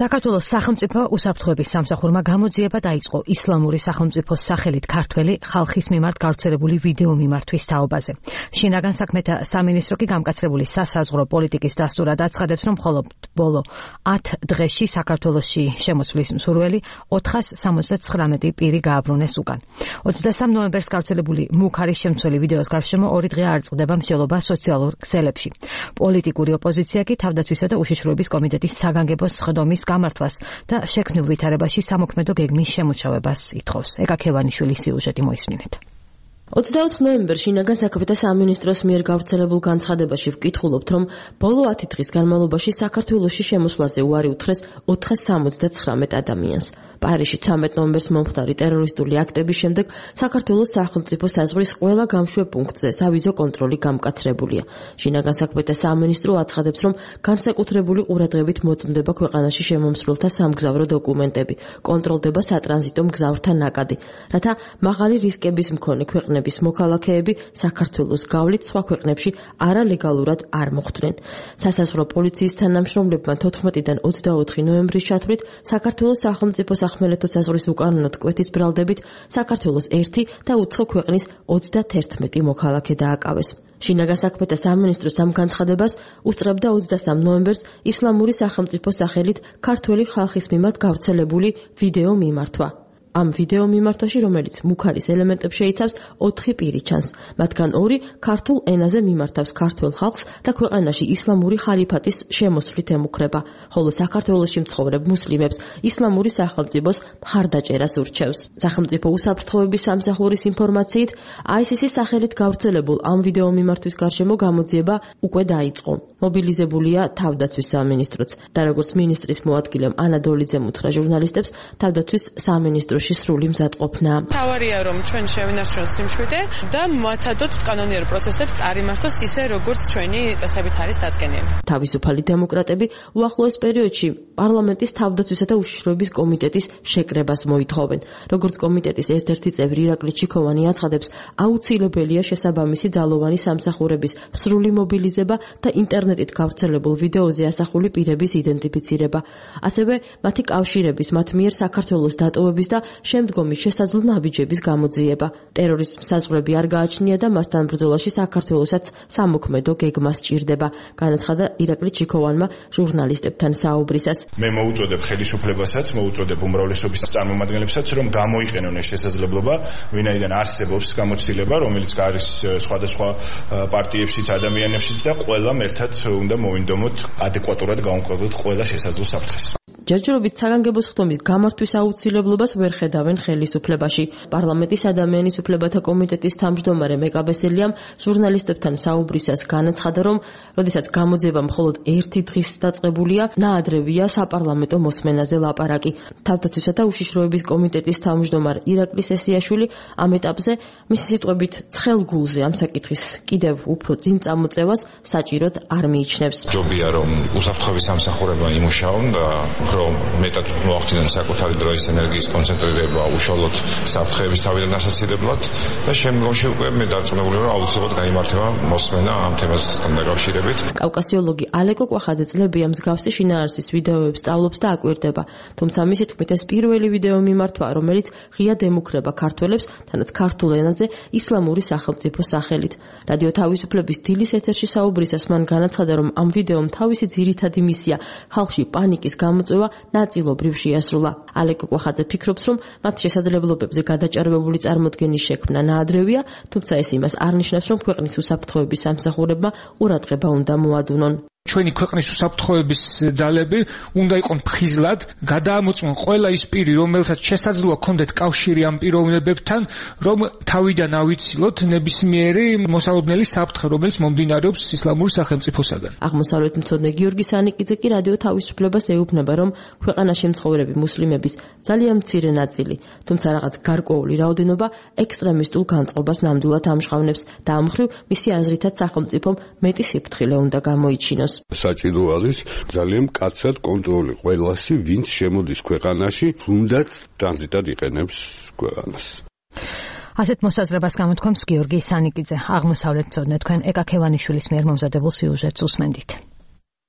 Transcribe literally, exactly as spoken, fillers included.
საქართველოს სახელმწიფო უსაფრთხოების სამსახურმა გამოძიება დაიწყო ისლამური სახელმწიფოს სახელით ქართველი ხალხის მიმართ გავრცელებული ვიდეო მიმართვის თაობაზე. შინაგან საქმეთა სამინისტრო კი გამკაცრებული სასაზღვრო პოლიტიკის დასტურად აცხადებს, რომ მხოლოდ ბოლო ათ დღეში საქართველოში შემოსვლის მსურველი ოთხას სამოცდათხრამეტი პირი გააბრუნეს უკან. ოცდასამ ნოემბერს გავრცელებული მუქარის შემცველი ვიდეოს გარშემო ორი დღე არ წყდება მსჯელობა სოციალურ ქსელებში. პოლიტიკური ოპოზიცია კი თავდაცვისა და უშიშროების კომიტეტის საგანგებო სხდომის გამართვას და შექმნილ ვითარებაში სამოქმედო გეგმის შემოჩავებას ითხოვს. ეკა ქევანიშვილის სიუჟეტი მოისმინეთ. ოცდაოთხ ნოემბერს შინაგან საქმეთა სამინისტროს მიერ გავრცელებულ განცხადებაში ვკითხულობთ, რომ ბოლო ათი დღის განმავლობაში საქართველოში შემოსვლაზე უარი უთხრეს ოთხას სამოცდათხრამეტ ადამიანს. პარიზში ცამეტ ნოემბერს მომხდარი ტერორისტული აქტების შემდეგ საქართველოს სახელმწიფო საზღვრის ყველა გამშვებ პუნქტზე სავიზო კონტროლი გამკაცრებულია. შინაგან საქმეთა სამინისტრო აცხადებს, რომ განსაკუთრებული ყურადღებით მოწმდება ქვეყანაში შემომსვლელთა სამგზავრო დოკუმენტები, კონტროლდება სატრანზიტო მგზავრთა ნაკადი, რათა მაღალი რისკების მქონე ქვეყნების მოქალაქეები საქართველოს გავლით სხვა ქვეყნებში არალეგალურად არ მოხვდნენ. სასაზღვრო პოლიციის თანამშრომლებმა თოთხმეტიდან ოცდაოთხი ნოემბრის ჩათვლით საქართველოს სახელმწიფო სახმელეთო საზღვრის უკანონოდ კვეთის ბრალდებით საქართველოს ერთი და უცხო ქვეყნის ოცდათერთმეტი მოქალაქე დააკავეს. შინაგან საქმეთა სამინისტროს ამ განცხადებას უსწრებდა ოცდასამ ნოემბერს ისლამური სახელმწიფოს სახელით ქართველი ხალხის მიმართ გავრცელებული ვიდეო მიმართვა. ამ ვიდეო მიმართვაში, რომელიც მუქარის ელემენტებს შეიცავს, ოთხი პირი ჩანს. მათგან ორი ქართულ ენაზე მიმართავს ქართველ ხალხს და ქვეყანაში ისლამური ხალიფატის შემოსვლით ემუქრება, ხოლო საქართველოში მცხოვრებ მუსლიმებს ისლამური სახელმწიფოს მხარდაჭერას ურჩევს. სახელმწიფო უსაფრთხოების სამსახურის ინფორმაციით, აი ეს ის-ის სახელით გავრცელებულ ამ ვიდეო მიმართვის გარშემო გამოძიება უკვე დაიწყო. მობილიზებულია თავდაცვის სამინისტროც და როგორც მინისტრის მოადგილემ ანა დოლიძემ უთხრა ჟურნალისტებს, თავდაცვის სამინისტრო სრული მზადყოფნა. თავარია რომ ჩვენ შევინარჩუნოთ სიმშვიდე და მოაცადოთ კანონიერ პროცესებს წარიმართოს ისე როგორც ჩვენი წესებით არის დადგენილი. თავისუფალი დემოკრატები უახლოეს პერიოდში პარლამენტის თავდაცვისა და უშიშროების კომიტეტის შეკრებას მოითხოვენ. როგორც კომიტეტის ერთ-ერთი წევრი ირაკლი ჩიქოვანი აცხადებს, აუცილებელია შესაბამისი ძალოვანი სამსახურების სრული მობილიზება და ინტერნეტით გავრცელებულ ვიდეოზე ასახული პირების იდენტიფიცირება. ასევე მათი კავშირების მათ მიერ საქართველოს დატოვების და შემდგომი შესაძლო ნაბიჯების გამოძიება. ტერორიზმს საზღვრები არ გააჩნია და მასთან ბრძოლაში საქართველოსაც სამოქმედო გეგმა სჭირდება, განაცხადა ირაკლი ჩიქოვანმა ჟურნალისტებთან საუბრისას. მე მოუწოდებ ხელისუფლებასაც, მოუწოდებ უმრავლესობის წარმომადგენლებსაც, რომ გამოიყენონ ეს შესაძლებლობა, ვინაიდან არსებობს გამოცდილება, რომელიც არის სხვადასხვა პარტიებშიც, ადამიანებშიც და ყველამ ერთად უნდა მოვინდომოთ, ადეკვატურად გავუმკრობოთ ყველა შესაძლო საფრთხეს. ჯერჯერობით საგანგებო სხდომის გამართვის აუცილებლობას ვერ ხედავენ ხელისუფლებაში. პარლამენტის ადამიანის უფლებათა კომიტეტის თავმჯდომარე მეკაბესელიამ ჟურნალისტებთან საუბრისას განაცხადა, რომ როდესაც გამოძიება მხოლოდ ერთი დღის დაწყებულია, ნაადრევია საპარლამენტო მოსმენაზე ლაპარაკი. თავდაცვისა და უშიშროების კომიტეტის თავმჯდომარე ირაკლი სესიაშვილი ამ ეტაპზე მისი სიტყვებით ცხელ გულზე ამ საკითხის კიდევ უფრო წინ წამოწევას საჭიროდ არ მიიჩნევს. ჯობია რომ უსაფრთხოების სამსახურებმა იმუშაონ და რომ მეტად მოახდინონ საკუთარი დროის ენერგიის კონცენტრირება უშუალოდ საფრთხეების თავიდან ასაცილებლად და შემდგომში უკვე მე დარწმუნებული ვარ, აუცილებლად გაიმართება მოსმენა ამ თემასთან დაკავშირებით. კავკასიოლოგი ალეკო კვახაძე წლებია მსგავსი შინაარსის ვიდეოებს სწავლობს და აკვირდება, თუმცა მისი თქმით ეს პირველი ვიდეო მიმართვა, რომელიც ღიად ემუქრება ქართველებს, თანაც ქართულ ენაზე ისლამური სახელმწიფოს სახელით. რადიო თავისუფლების დილის ეთერში საუბრისას მან განაცხადა, რომ ამ ვიდეომ თავისი ძირითადი მისია ხალხში პანიკის გამოწვევა ნაწილობრივ შეასრულა. ალეკო კვახაძე ფიქრობს, რომ მათ შესაძლებლობებზე გადაჭარბებული წარმოდგენის შექმნა ნაადრევია, თუმცა ეს იმას არ ნიშნავს, რომ ქვეყნის უსაფრთხოების სამსახურებმა ყურადღება უნდა მოადუნონ. ჩვენი ქვეყნის უსაფრთხოების ძალები უნდა იყვნენ ფხიზლად, გადაამოწმონ ყველა ის პირი, რომელსაც შესაძლოა ჰქონდეთ კავშირი ამ პიროვნებებთან, რომ თავიდან ავიცილოთ ნებისმიერი მოსალოდნელი საფრთხე, რომელიც მომდინარეობს ისლამური სახელმწიფოსაგან. აღმოსავლეთმცოდნე გიორგი სანიკიძე კი რადიო თავისუფლებას ეუბნება, რომ ქვეყანაში მცხოვრები მუსლიმების ძალიან მცირე ნაწილი, თუმცა რაღაც გარკვეული რაოდენობა ექსტრემისტულ განწყობას ნამდვილად ამჟღავნებს და ამ მხრივ მისი აზრითაც სახელმწიფომ მეტი სიფრთხილე უნდა გამოიჩინოს. საჭირო არის ძალიან მკაცრად კონტროლი ყველასი, ვინც შემოდის ქვეყანაში, თუნდაც ტრანზიტად იყენებს ქვეყანას. ასეთ მოსაზრებას გამოთქვამს გიორგი სანიკიძე. აღმოსავლეთმცოდნე თქვენ ეკა ქევანიშვილის მიერ მომზადებულ სიუჟეტს უსმენდით.